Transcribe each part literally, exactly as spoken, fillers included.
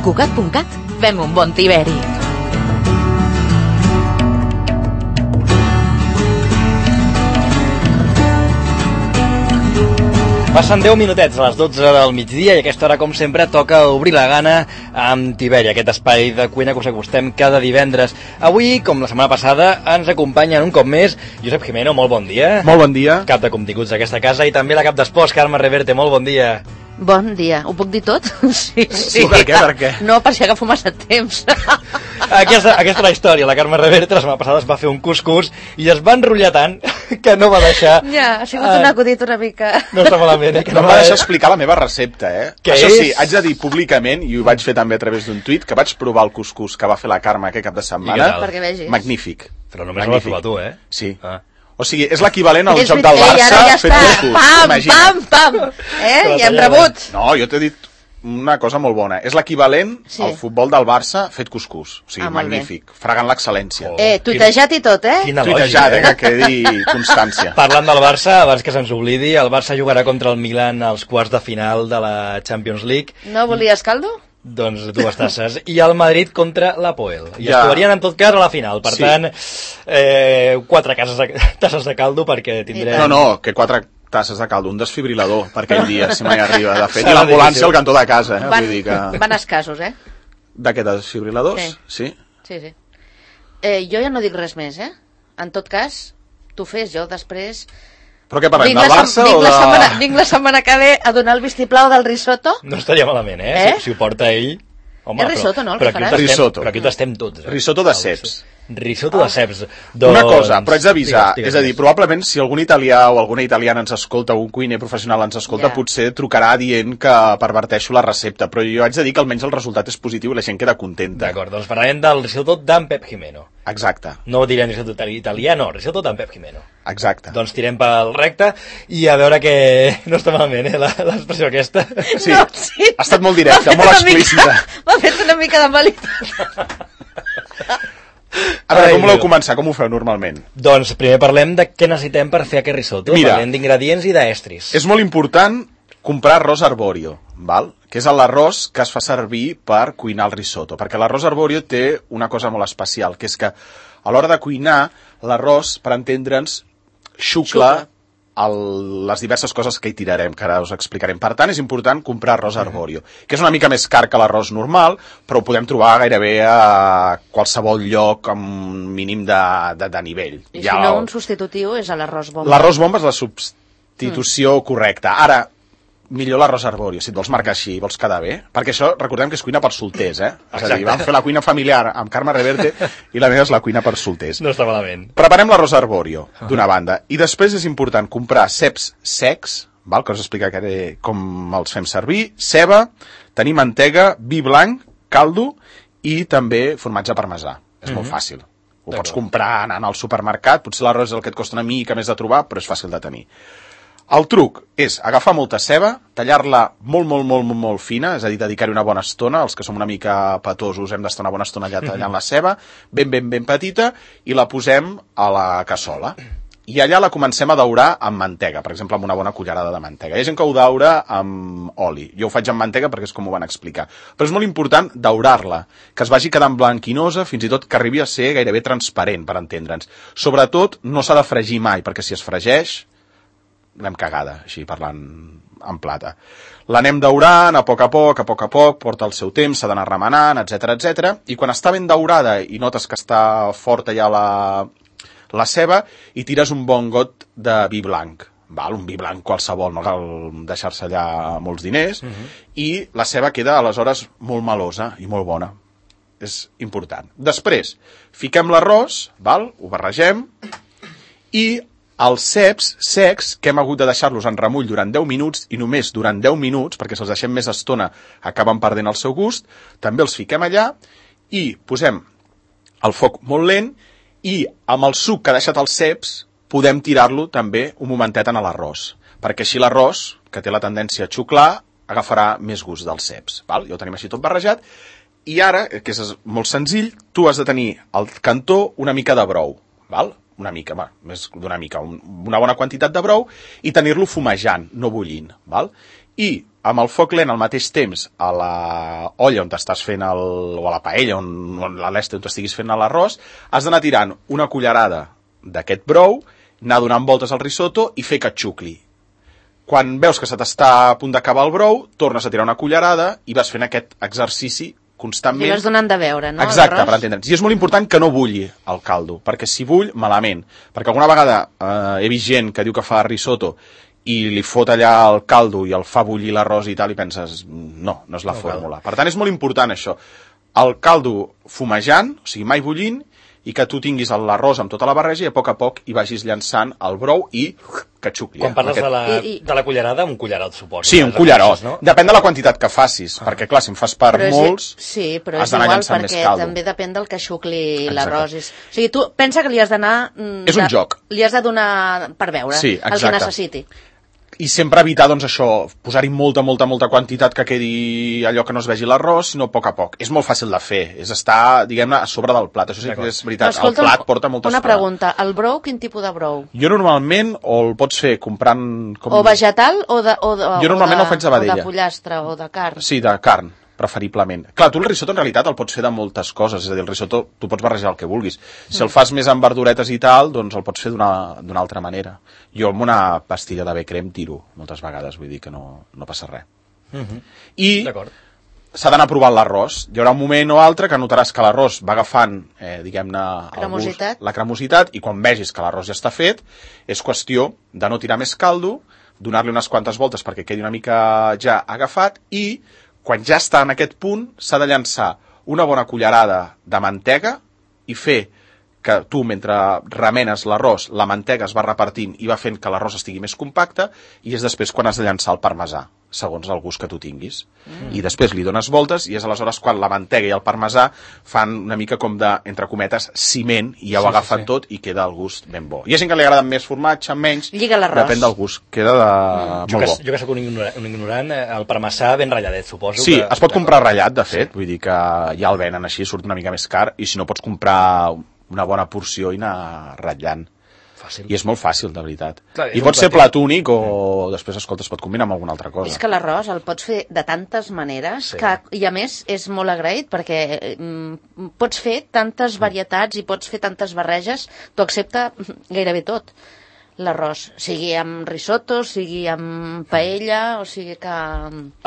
Cugat punt cat, fem un bon tiberi. Passen deu minutets a les dotze del migdia i a aquesta hora, com sempre, toca obrir la gana amb Tiberi, aquest espai de cuina que us acostem cada divendres. Avui, com la setmana passada, ens acompanyen un cop més Josep Jimeno, molt bon dia. Molt bon dia. Cap de continguts d'aquesta casa, i també la cap d'esports, Carme Reverte, molt bon dia. Bon dia. Ho puc dir tot? Sí, sí. Sí, per què, per què? No, per si agafo massa temps. Aquesta, aquesta és la història. La Carme Reverte la setmana passada es va fer un cuscús i es va enrotllar tant que no va deixar... Ja, ha sigut uh, un acudit una mica... No està malament, eh? Que no, no va deixar explicar la meva recepta, eh? Què Això és? sí, haig de dir públicament, i ho vaig fer també a través d'un tuit, que vaig provar el cuscús que va fer la Carme aquest cap de setmana. Perquè vegis. Magnífic. Però només el vas provar tu, eh? Sí. Ah. O sigui, és l'equivalent al És joc del veritat, Barça ja fet està. cuscús. Pam, Imagina't. pam, pam. Eh? I hem rebut. No, jo t'he dit una cosa molt bona. És l'equivalent Sí. al futbol del Barça fet cuscús. O sigui, Ah, molt bé. magnífic. Fregant l'excel·lència. Oh. Eh, tuitejat i tot, eh? Quina Tuitejat, lògica, eh, que quedi constància. Parlant del Barça, abans que se'ns oblidi, el Barça jugarà contra el Milan als quarts de final de la Champions League. No volies caldo? Doncs dues tasses. I el Madrid contra l'Apoel. I Ja. es trobarien en tot cas a la final. Per Sí. tant, eh, quatre cases de, tasses de caldo perquè tindrem... No, no, que quatre tasses de caldo, un desfibrilador per aquell dia, si mai arriba. De fet, Serà i l'ambulància difícil. al cantó de casa. Eh? Van, Vull dir que... van escassos, eh? D'aquests desfibriladors, sí. sí. Sí, sí. Eh, jo ja no dic res més, eh? En tot cas, tu fes, jo després... Però què parlem, Vinc del la, Barça vinc o la de... setmana, vinc la setmana que ve a donar el vistiplau del risotto. No estaria malament, eh? Eh? Si, si ho porta ell... Home, És risotto, no, el però, que però faràs? aquí ho tastem, Risotto. però aquí ho tastem tots. Eh? Risotto de ceps. Risotto de ceps. Una cosa, però haig d'avisar, Digues, digues, és a dir, digues. probablement si algun italià o alguna italiana ens escolta, o un cuiner professional ens escolta, Ja. potser trucarà dient que perverteixo la recepta, però jo haig de dir que almenys el resultat és positiu i la gent queda contenta. D'acord, doncs parlarem del risotto d'en Pep Jimeno. Exacte, No direm risotto italià, no, risotto d'en Pep Jimeno. exacte. Doncs tirem pel recte i a veure que no està malament, eh, la- l'expressió aquesta. Sí, No, sí. ha estat molt directa, M'ha fet molt una mica- explícita. M'ha fet una mica de malit. A veure, Ai, com voleu Déu. començar? Com ho feu normalment? Doncs primer parlem de què necessitem per fer aquest risotto. Mira. Parlem d'ingredients i d'estris. És molt important comprar arròs arborio, val? Que és l'arròs que es fa servir per cuinar el risotto, perquè l'arròs arborio té una cosa molt especial, que és que a l'hora de cuinar, l'arròs, per entendre'ns, xucla el, les diverses coses que hi tirarem, que ara us explicarem. Per tant, és important comprar arròs arborio, que és una mica més car que l'arròs normal, però ho podem trobar gairebé a qualsevol lloc amb un mínim de, de, de nivell. I Ja si no, el- un substitutiu és a l'arròs bomba. L'arròs bomba és la substitució mm. correcta. Ara, millor l'arròs arborio, si et vols marcar així, vols quedar bé, perquè això, recordem que és cuina per solters, eh? És a dir, Exacte. vam fer la cuina familiar amb Carme Reverte i la meva és la cuina per solters. No està malament. Preparem l'arròs arborio, d'una banda, i després és important comprar ceps secs, val? Que us explicaré com els fem servir, ceba, tenir mantega, vi blanc, caldo i també formatge parmesà. És molt fàcil. Ho pots comprar anant al supermercat, potser l'arròs és el que et costa una mica més de trobar, però és fàcil de tenir. El truc és agafar molta ceba, tallar-la molt, molt, molt, molt, molt fina, és a dir, dedicar-hi una bona estona, els que som una mica petosos hem d'estar una bona estona allà tallant la ceba, ben, ben, ben petita, i la posem a la cassola. I allà la comencem a daurar amb mantega, per exemple, amb una bona cullerada de mantega. Hi ha gent que ho daura amb oli. Jo ho faig amb mantega perquè és com ho van explicar. Però és molt important daurar-la, que es vagi quedant blanquinosa, fins i tot que arribi a ser gairebé transparent, per entendre'ns. Sobretot, no s'ha de fregir mai, perquè si es fregeix, l'hem cagada, així parlant en plata. L'anem daurant a poc a poc, a poc a poc, porta el seu temps, s'ha d'anar remenant, etcètera, etcètera, i quan està ben daurada i notes que està forta ja la, la ceba, i tires un bon got de vi blanc, val? Un vi blanc qualsevol, no cal deixar-se allà molts diners, uh-huh. i la ceba queda aleshores molt melosa i molt bona. És important. Després, fiquem l'arròs, val? Ho barregem, i els ceps secs, que hem hagut de deixar-los en remull durant deu minuts, i només durant deu minuts, perquè si els deixem més estona acaben perdent el seu gust, també els fiquem allà i posem el foc molt lent, i amb el suc que ha deixat els ceps podem tirar-lo també un momentet en l'arròs, perquè així l'arròs, que té la tendència a xuclar, agafarà més gust dels ceps. Val? Ja ho tenim així tot barrejat, i ara, que és molt senzill, tu has de tenir al cantó una mica de brou. Val? una mica, va, més d'una mica, un, una bona quantitat de brou, i tenir-lo fumejant, no bullint, val? I amb el foc lent al mateix temps a la olla on t'estàs fent el, o a la paella, on, on a l'est on t'estiguis fent l'arròs, has d'anar tirant una cullerada d'aquest brou, anar donant voltes al risotto i fer que xucli. Quan veus que se t'està a punt d'acabar el brou, tornes a tirar una cullerada i vas fent aquest exercici constantment. I vas donant de veure, no? Exacte, per entendre'ns. I és molt important que no bulli el caldo, perquè si bull, malament. Perquè alguna vegada eh, he vist gent que diu que fa risotto i li fot allà el caldo i el fa bullir l'arròs i tal, i penses, no, no és la no fórmula. Cal. Per tant, és molt important això. El caldo fumejant, o sigui, mai bullint, i que tu tinguis l'arròs amb tota la barreja i a poc a poc hi vagis llançant el brou i que xucli. Quan parles aquest... de, la, I, i... de la cullerada, un cullerot, suposo. Sí, un cullerot. No? Depèn de la quantitat que facis, ah. perquè clar, si en fas per però molts, és, sí, però has d'anar llançant més caldo. Perquè també depèn del que xucli l'arròs. O sigui, tu pensa que li has d'anar... És un joc. Li has de donar per veure sí, el que necessiti. I sempre evitar, doncs, això, posar-hi molta, molta, molta quantitat que quedi allò que no es vegi l'arròs, sinó a poc a poc. És molt fàcil de fer, és estar, diguem-ne, a sobre del plat. Això sí que és veritat, el plat porta molta estona. Una estona. pregunta, el brou, quin tipus de brou? Jo normalment, o el pots fer comprant... Com... O vegetal o de, o de, jo normalment o de, el faig de vedella. O de pollastre o de carn. Sí, de carn, preferiblement. Clar, tu el risotto en realitat el pots fer de moltes coses, és a dir, el risotto tu pots barrejar el que vulguis. Si mm. el fas més amb verduretes i tal, doncs el pots fer d'una altra manera. Jo amb una pastilla de bé crem tiro moltes vegades, vull dir que no, no passa res. Mm-hmm. I s'ha d'anar provant l'arròs. Hi haurà un moment o altre que notaràs que l'arròs va agafant, eh, diguem-ne, cremositat. la cremositat, i quan vegis que l'arròs ja està fet, és qüestió de no tirar més caldo, donar-li unes quantes voltes perquè quedi una mica ja agafat, i quan ja està en aquest punt, s'ha de llançar una bona cullerada de mantega i fer que tu, mentre remenes l'arròs, la mantega es va repartint i va fent que l'arròs estigui més compacte, i és després quan has de llançar el parmesà, segons el gust que tu tinguis. Mm. I després li dones voltes, i és aleshores quan la mantega i el parmesà fan una mica com de, entre cometes, ciment, i ja ho sí, agafen sí, sí. tot i queda el gust ben bo. Hi ha gent que li agrada més formatge, menys, lliga l'arròs. Depèn del gust, queda de... mm. molt jo que, bo. Jo que soc un ignorant, un ignorant, el parmesà ben ratlladet, suposo. Sí, que... es pot comprar ratllat, de fet, sí. Vull dir que ja el venen així, surt una mica més car, i si no pots comprar una bona porció i anar ratllant. Fàcil. I és molt fàcil, de veritat. Clar, I pot ser plat plat únic o mm. després, escolta, es pot combinar amb alguna altra cosa. És que l'arròs el pots fer de tantes maneres sí. que, i a més, és molt agraït perquè mm, pots fer tantes varietats i pots fer tantes barreges, tu accepta gairebé tot. L'arròs, sigui amb risotto, sigui amb paella, o sigui que...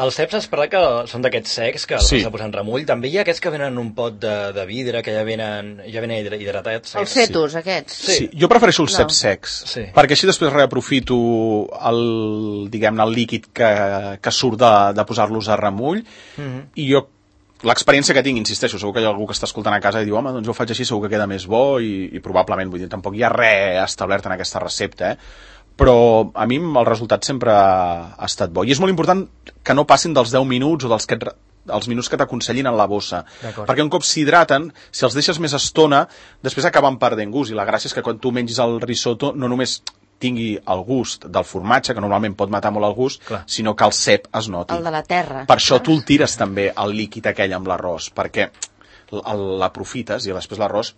Els ceps es parla que són d'aquests secs que els sí. has de posar en remull. També hi ha aquests que venen en un pot de, de vidre, que ja venen, ja venen hidratats. Els cetos, sí. aquests. Sí. sí, jo prefereixo els no. ceps secs, sí. perquè així després reaprofito el, diguem-ne, el líquid que, que surt de, de posar-los a remull, mm-hmm. i jo l'experiència que tinc, insisteixo, segur que hi ha algú que està escoltant a casa i diu, home, doncs jo ho faig així, segur que queda més bo, i, i probablement, vull dir, tampoc hi ha res establert en aquesta recepta, eh? Però a mi el resultat sempre ha estat bo. I és molt important que no passin dels deu minuts o dels que et, els minuts que t'aconsellin en la bossa. Perquè un cop s'hidraten, si els deixes més estona, després acaben perdent gust, i la gràcia és que quan tu mengis el risotto no només tingui el gust del formatge, que normalment pot matar molt el gust, clar. Sinó que el cep es noti. El de la terra. Per això tu el tires també, el líquid aquell amb l'arròs, perquè l'aprofites i després l'arròs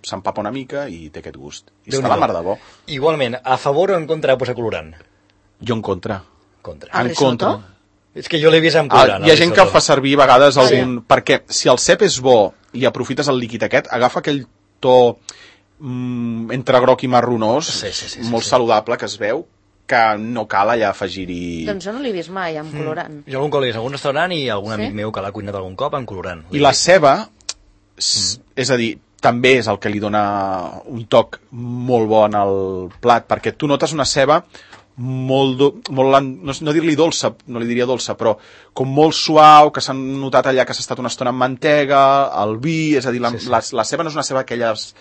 s'empapa una mica i té aquest gust. I està la mar de bo. Igualment, a favor o en contra de posar colorant? Jo en contra. Contra. En contra? És que jo l'he vist amb colorant. Ah, hi ha gent que el fa servir a vegades algun... Ah, ja. Perquè si el cep és bo i aprofites el líquid aquest, agafa aquell to... entre groc i marronós, sí, sí, sí, sí, molt sí. saludable, que es veu que no cal allà afegir-hi... Doncs jo no l'he vist mai amb colorant. Mm. Jo algun cop l'he vist a algun restaurant i algun sí? amic meu que l'ha cuinat algun cop amb colorant. I la ceba, mm. és a dir, també és el que li dona un toc molt bo en el plat, perquè tu notes una ceba molt, do, molt no, no dir-li dolça, no li diria dolça, però com molt suau, que s'han notat allà que s'ha estat una estona amb mantega, el vi, és a dir, la, sí, sí. la, la ceba no és una ceba aquelles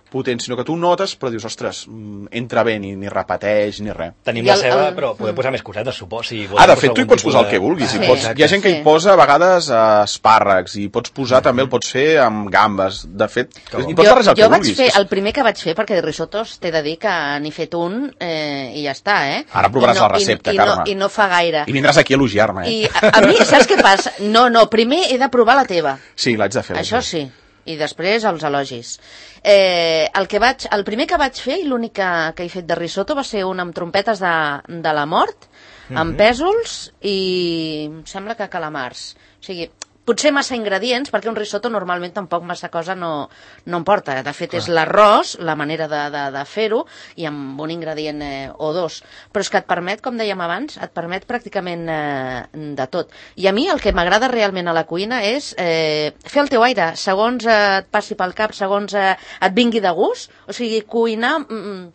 potent, sinó que tu notes, però dius, ostres, entra bé, ni, ni repeteix, ni res. Tenim la ceba, el... però podem posar més cosetes, suposo. Si ah, de fet, tu hi pots posar de... el que vulguis. Sí, pots... Hi ha gent que hi posa, a vegades, espàrrecs, i pots posar, mm-hmm. també el pots fer amb gambes. De fet, hi pots barrejar el que vulguis. Jo vaig fer, el primer que vaig fer, perquè de risotos t'he de dir que n'he fet un eh, i ja està, eh? Ara provaràs no, la recepta, i, i Carme. No, I no fa gaire. I vindràs aquí a elogiar-me, eh? I a, a mi, saps què passa? No, no, primer he de provar la teva. Sí, l'haig de fer. Això sí. i després els elogis. Eh, el, que vaig, el primer que vaig fer i l'únic que, que he fet de risotto va ser un amb trompetes de, de la mort, mm-hmm. amb pèsols i em sembla que calamars. O sigui, potser massa ingredients, perquè un risotto normalment tampoc massa cosa no, no em porta. De fet, clar. És l'arròs, la manera de, de, de fer-ho, i amb un ingredient eh, o dos. Però és que et permet, com dèiem abans, et permet pràcticament eh, de tot. I a mi el que m'agrada realment a la cuina és eh, fer el teu aire, segons eh, et passi pel cap, segons eh, et vingui de gust. O sigui, cuinar... Mm,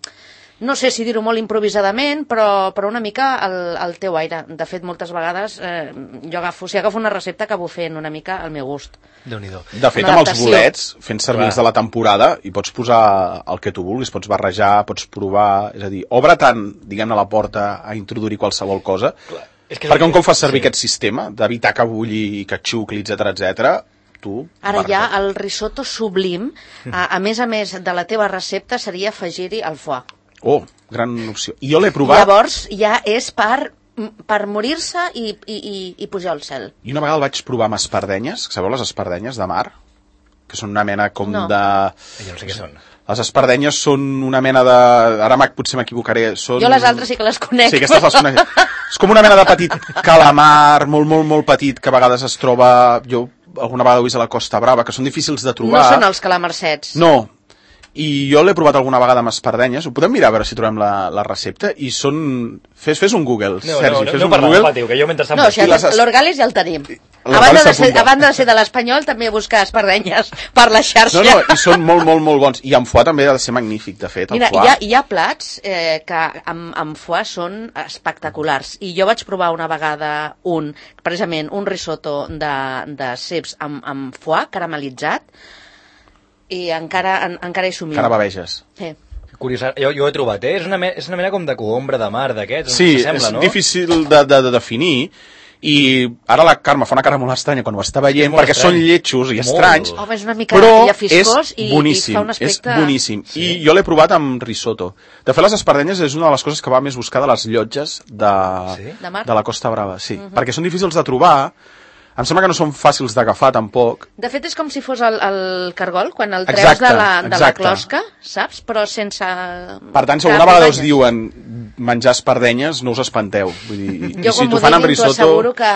no sé si dir-ho molt improvisadament, però, però una mica el, el teu aire. De fet, moltes vegades eh, jo agafo, si agafo una recepta acabo fent una mica al meu gust. Déu-n'hi-do. De fet, amb els bolets, fent servir els de la temporada, hi pots posar el que tu vulguis, pots barrejar, pots provar... És a dir, obre tant, diguem-ne, la porta a introduir qualsevol cosa, clar. És que perquè un cop fas servir sí. aquest sistema d'evitar que bulli, que xucli, etcètera, etcètera, tu... Ara ja el risotto sublim, a, a més a més de la teva recepta, seria afegir-hi el foie. Oh, gran opció. I jo l'he provat... Llavors ja és per, per morir-se i, i, i, i pujar al cel. I una vegada el vaig provar amb espardenyes, sabeu les espardenyes de mar? Que són una mena com no. de... Jo no sé què són. Les espardenyes són una mena de... Ara potser m'equivocaré. Són... Jo les altres sí que les conec. Sí, aquestes les conec. És com una mena de petit calamar, molt, molt, molt petit, que a vegades es troba... Jo alguna vegada ho he vist a la Costa Brava, que són difícils de trobar. No són els calamarsets. No. I jo l'he provat alguna vegada amb espardenyes, ho podem mirar a veure si trobem la, la recepta, i són... Fes, fes un Google, no, Sergi, no, no, fes no un parla, Google. Patiu, que jo mentre no, o sigui, les... l'Orgalis ja el tenim. A banda, de ser, a banda de ser de l'Espanyol, també buscar espardenyes per la xarxa. No, no, i són molt, molt, molt bons. I amb foie també ha de ser magnífic, de fet, el Mira, foie. Hi ha, hi ha plats eh, que amb, amb foie són espectaculars. I jo vaig provar una vegada un, precisament, un risotto de, de ceps amb, amb foie caramelitzat, i encara, en, encara hi somio. Encara baveges. Sí. Curiós, jo, jo ho he trobat, eh? És una, me, és una mena com de coombra de mar d'aquests, sí, sembla, és no? difícil de, de, de definir, i ara la Carme fa una cara molt estranya quan ho està veient, perquè estrany. Són lletjos i molt. estranys, Home, és una mica però llafiscós és i, boníssim, i fa un aspecte... és boníssim. Sí. I jo l'he provat amb risotto. De fet, les espardenyes és una de les coses que va més buscar de les llotges de, sí? de, mar? de la Costa Brava, sí, uh-huh. perquè són difícils de trobar. Em sembla que no són fàcils d'agafar, tampoc. De fet, és com si fos el, el cargol, quan el treus exacte, de, la, de la exacte. closca, saps? Però sense... Per tant, si alguna vegada us diuen menjar espardenyes, no us espanteu. Vull dir, i, jo, i si com t'ho fan amb risotto... Jo asseguro que...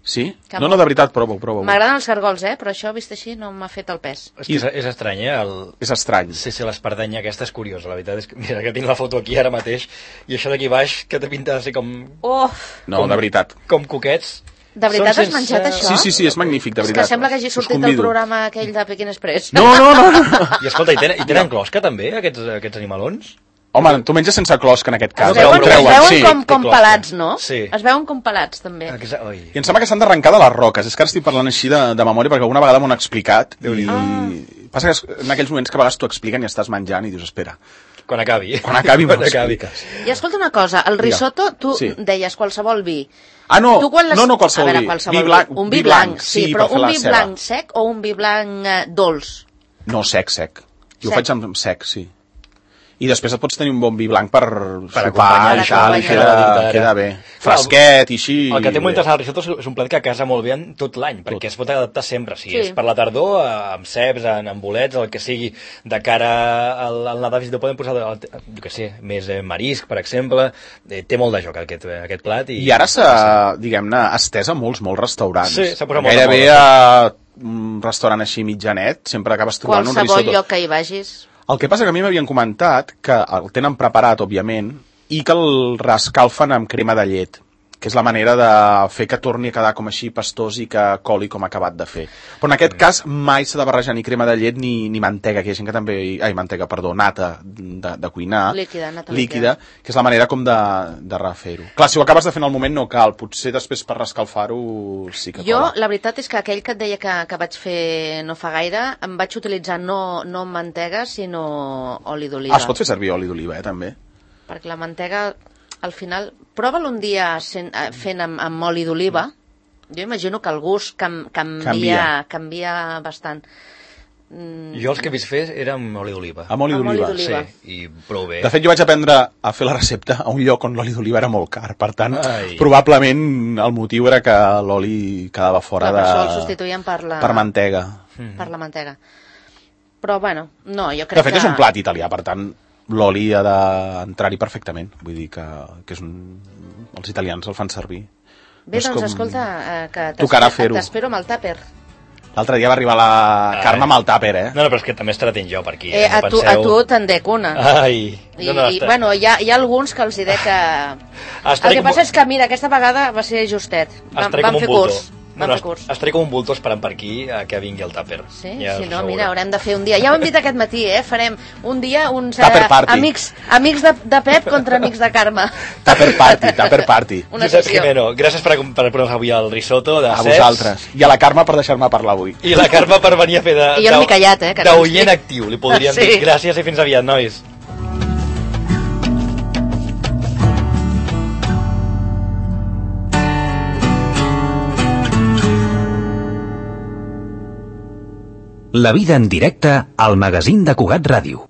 Sí? Que no, no, de veritat, prova-ho, prova-ho. M'agraden els cargols, eh? Però això, vist així, no m'ha fet el pes. És, és, és estrany, eh? El... És estrany. Sí, sí, l'espardenya aquesta és curiosa, la veritat és que... Mira, que tinc la foto aquí ara mateix, i això d'aquí baix, que té pinta de ser com... Oh! No, com, de veritat. Com coquets. De veritat sense... has menjat això? Sí, sí, sí, és magnífic, de veritat. És que sembla que hagi sortit del programa aquell de Peking Express. No, no, no. no. I escolta, i tenen, i tenen closca també, aquests, aquests animalons? Home, tu menges sense closca en aquest cas. Es veuen, eh? es veuen sí. com, com pelats, no? Sí. Es veuen com pelats, també. Oi. I em sembla que s'han d'arrencar de les roques. És que ara estic parlant així de, de memòria perquè alguna vegada m'ho han explicat. I... Ah. Passa que en aquells moments que a vegades t'ho expliquen i estàs menjant i dius, espera. Quan acabi. Quan acabi m'ho expliques. I escolta una cosa, el risotto, tu sí. deies qualsevol vi. Ah, no, tu quan les... no, no qualsevol, veure, vi. qualsevol vi. Blanc, un vi blanc, sí, sí però un vi ceba. blanc sec o un vi blanc eh, dolç? No, sec, sec. Jo ho faig amb sec, sí. I després et pots tenir un bon vi blanc per, per sopar i tal, i queda, queda bé. Fresquet i així. El que té molt interessant el risotto és un plat que casa molt bé en tot l'any, perquè tot. Es pot adaptar sempre. Si sí. És per la tardor, amb ceps, amb bolets, el que sigui, de cara al, al Nadal, si podem posar, jo què sé, més eh, marisc, per exemple. Eh, té molt de joc aquest, aquest plat. I, I ara s'ha, diguem-ne, estès a molts, molts restaurants. Sí, s'ha posat molt Gairebé a un restaurant així mitjanet, sempre acabes trobant un risotto. Qualsevol lloc que hi vagis... El que passa que a mi m'havien comentat que el tenen preparat, òbviament, i que el rescalfen amb crema de llet, que és la manera de fer que torni a quedar com així pastós i que coli com ha acabat de fer. Però en aquest cas mai s'ha de barrejar ni crema de llet ni, ni mantega, que hi ha gent que també... Ai, mantega, perdó, nata de, de cuinar. Líquida, nata líquida. Que és la manera com de, de refer-ho. Clar, si ho acabes de fer en el moment no cal, potser després per rescalfar-ho sí que jo, cola. La veritat és que aquell que et deia que, que vaig fer no fa gaire, em vaig utilitzar no, no mantega, sinó oli d'oliva. Ah, es pot fer servir oli d'oliva, eh, també? Perquè la mantega... Al final, prova'l un dia sent, fent amb, amb oli d'oliva. Jo imagino que el gust cam, canvia, canvia. canvia bastant. Jo els que he vist fer era amb oli d'oliva. Amb oli Amb oli d'oliva. d'oliva. Sí, i prou bé. De fet, jo vaig aprendre a fer la recepta a un lloc on l'oli d'oliva era molt car. Per tant, Ai. probablement el motiu era que l'oli quedava fora Clar, de... per això el substituïen per la... per mantega. Per la mantega. Però, bueno, no, jo De crec fet, que... és un plat italià, per tant, l'oli ha d'entrar-hi perfectament. Vull dir que, que és un... els italians el fan servir. Bé, És doncs, com- escolta, eh, que Tocarà t'espero fer-ho. t'espero amb el tàper. L'altre dia va arribar la Ai. Carme amb el tàper, eh? No, no, però és que també estarà tenint jo per aquí. Eh, a, no tu, a penseu. tu te'n dec una. Ai. I, No, no, i està- bueno, hi ha, hi ha alguns que els hi dec que... Estaré El que com- passa és que, mira, aquesta vegada va ser justet. Vam, Estaré vam com un fer bulto. curs. Vam No, fer no, curs. estaré com un bulto esperant per aquí a que vingui el tàper. Sí, Ja si us no, ho mira, veureu. haurem de fer un dia. Ja ho hem dit aquest matí, eh? Farem un dia uns Tupper party. amics, amics de, de Pep contra amics de Carme. Tàper party, tàper party. Una Josep sessió. Jimeno, gràcies per, per posar avui el risotto de A ceps. vosaltres. I a la Carme per deixar-me parlar avui. I la Carme per venir a fer de... I jo no m'he callat, eh, que no D'oient estic. actiu, li podríem Sí. dir. Gràcies i fins aviat, nois. La vida en directe al magazín de Cugat Ràdio.